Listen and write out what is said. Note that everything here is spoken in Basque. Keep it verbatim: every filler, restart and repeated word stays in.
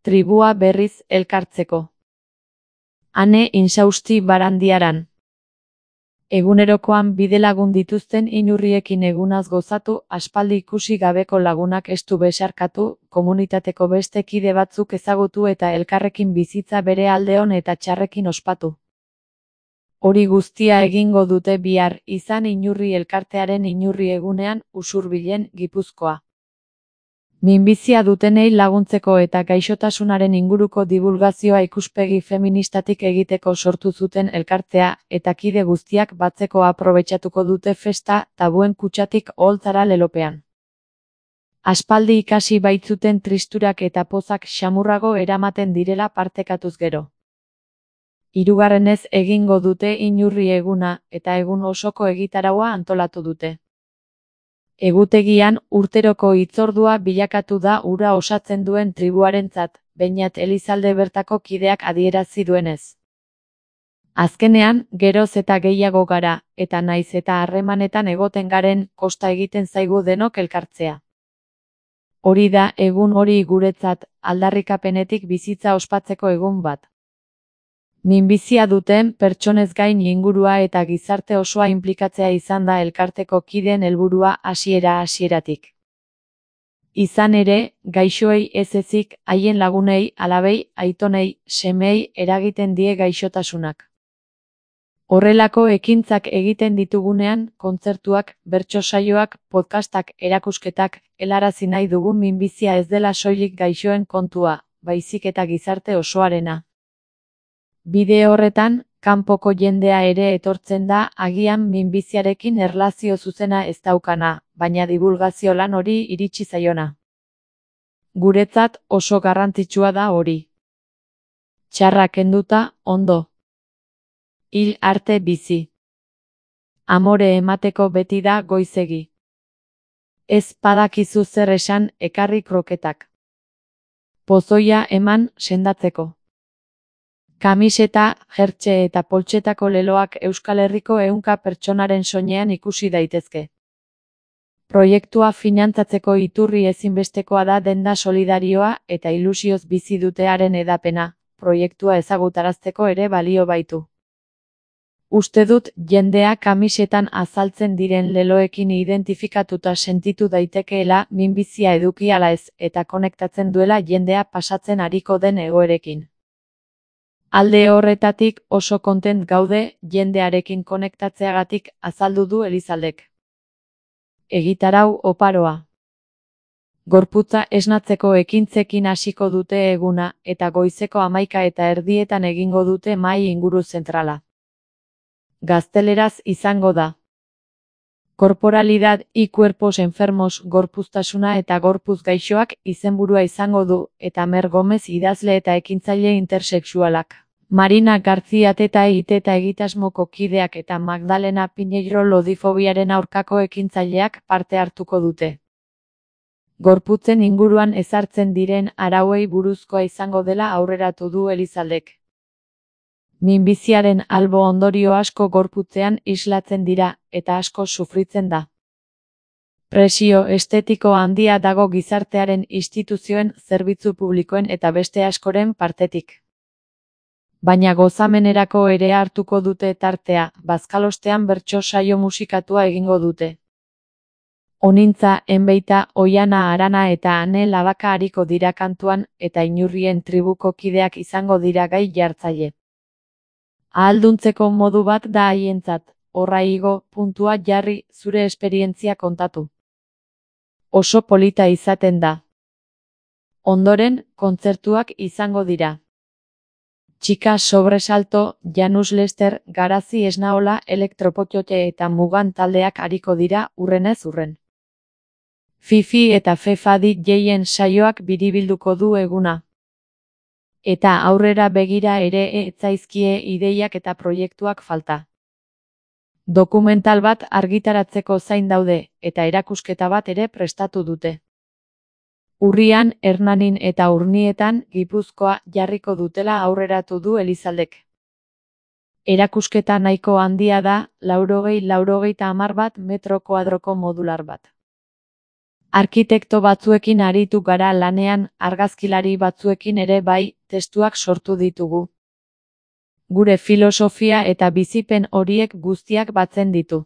Tribua berriz elkartzeko. Ane insausti Barandiaran. Egunerokoan bidelagun dituzten inurriekin egunaz gozatu, aspaldi ikusi gabeko lagunak estu besarkatu, komunitateko beste kide batzuk ezagutu eta elkarrekin bizitza bere alde on eta txarrekin ospatu. Hori guztia egingo dute bihar, izan inurri elkartearen inurri egunean, Usurbilen, Gipuzkoa. Minbizia dutenei laguntzeko eta gaixotasunaren inguruko divulgazioa ikuspegi feministatik egiteko sortu zuten elkartea, eta kide guztiak batzeko aprobetxatuko dute festa, tabuen kutxatik oholtzara lelopean. Aspaldi ikasi baitzuten tristurak eta pozak xamurrago eramaten direla partekatuz gero. Hirugarrenez egingo dute inurri eguna, eta egun osoko egitaraua antolatu dute. Egutegian, urteroko hitzordua bilakatu da hura osatzen duen tribuarentzat, Beñat Elizalde bertako kideak adierazi duenez. Azkenean, geroz eta gehiago gara, eta naiz eta harremanetan egoten garen, kosta egiten zaigu denok elkartzea. Hori da, egun hori guretzat, aldarrikapenetik bizitza ospatzeko egun bat. Minbizia duten pertsonez gain ingurua eta gizarte osoa inplikatzea izan da elkarteko kideen helburua hasiera-hasieratik. Izan ere, gaixoei ez ezik, haien lagunei, alabei, aitonei, semei eragiten die gaixotasunak. Horrelako ekintzak egiten ditugunean, kontzertuak, bertso saioak, podcastak, erakusketak, helarazi nahi dugu minbizia ez dela soilik gaixoen kontua, baizik eta gizarte osoarena. Bide horretan, kanpoko jendea ere etortzen da, agian minbiziarekin erlazio zuzena ez daukana, baina divulgazio lan hori iritsi zaiona. Guretzat oso garrantzitsua da hori. Txarra kenduta, ondo. Hil arte bizi. Amore emateko beti da goizegi. Ez badakizu zer esan, ekarri kroketak. Pozoia eman sendatzeko. Kamiseta, jertxe eta poltsetako leloak Euskal Herriko ehunka pertsonaren soinean ikusi daitezke. Proiektua finantzatzeko iturri ezinbestekoa da denda solidarioa eta ilusioz bizi dutearen edapena, proiektua ezagutarazteko ere balio baitu. Uste dut jendea kamisetan azaltzen diren leloekin identifikatuta sentitu daitekeela minbizia eduki ala ez eta konektatzen duela jendea pasatzen ariko den egoerekin. Alde horretatik oso kontent gaude jendearekin konektatzeagatik azaldu du Elizaldek. Egitarau oparoa. Gorputza esnatzeko ekintzekin hasiko dute eguna eta goizeko hamaika eta erdietan egingo dute mahai inguru zentrala. Gazteleraz izango da. Korporalidad y cuerpos enfermos gorpuztasuna eta gorpuz gaixoak izenburua izango du eta Mer Gomez idazle eta ekintzaile intersexualak. Marina García Teta Iteta egitasmoko kideak eta Magdalena Piñeiro lodifobiaren aurkako ekintzaileak parte hartuko dute. Gorputzen inguruan ezartzen diren arauei buruzkoa izango dela aurreratu du Elizaldek. Minbiziaren albo ondorio asko gorputzean islatzen dira, eta asko sufritzen da. Presio estetiko handia dago gizartearen instituzioen, zerbitzu publikoen eta beste askoren partetik. Baina gozamenerako ere hartuko dute tartea, bazkalostean bertso saio musikatua egingo dute. Onintza, Enbeita, Oiana Arana eta Ane Labaka ariko dira kantuan, eta inurrien tribuko kideak izango dira gai jartzaile. Ahalduntzeko modu bat da haientzat, horra igo, puntua jarri, zure esperientzia kontatu. Oso polita izaten da. Ondoren, kontzertuak izango dira. Txika sobresalto, Janus Lester, Garazi Esnaola, Elektropotiote eta Mugan taldeak ariko dira urrenez urren. Fifi eta Fefadi jeien saioak biribilduko du eguna. Eta aurrera begira ere ez zaizkie ideiak eta proiektuak falta. Dokumental bat argitaratzeko zain daude, eta erakusketa bat ere prestatu dute. Urrian, Hernanin eta Urnietan, Gipuzkoa jarriko dutela aurreratu du Elizaldek. Erakusketa nahiko handia da, laurogei laurogeita hamar bat metro kuadroko modular bat. Arkitekto batzuekin aritu gara lanean, argazkilari batzuekin ere bai, testuak sortu ditugu. Gure filosofia eta bizipen horiek guztiak batzen ditu.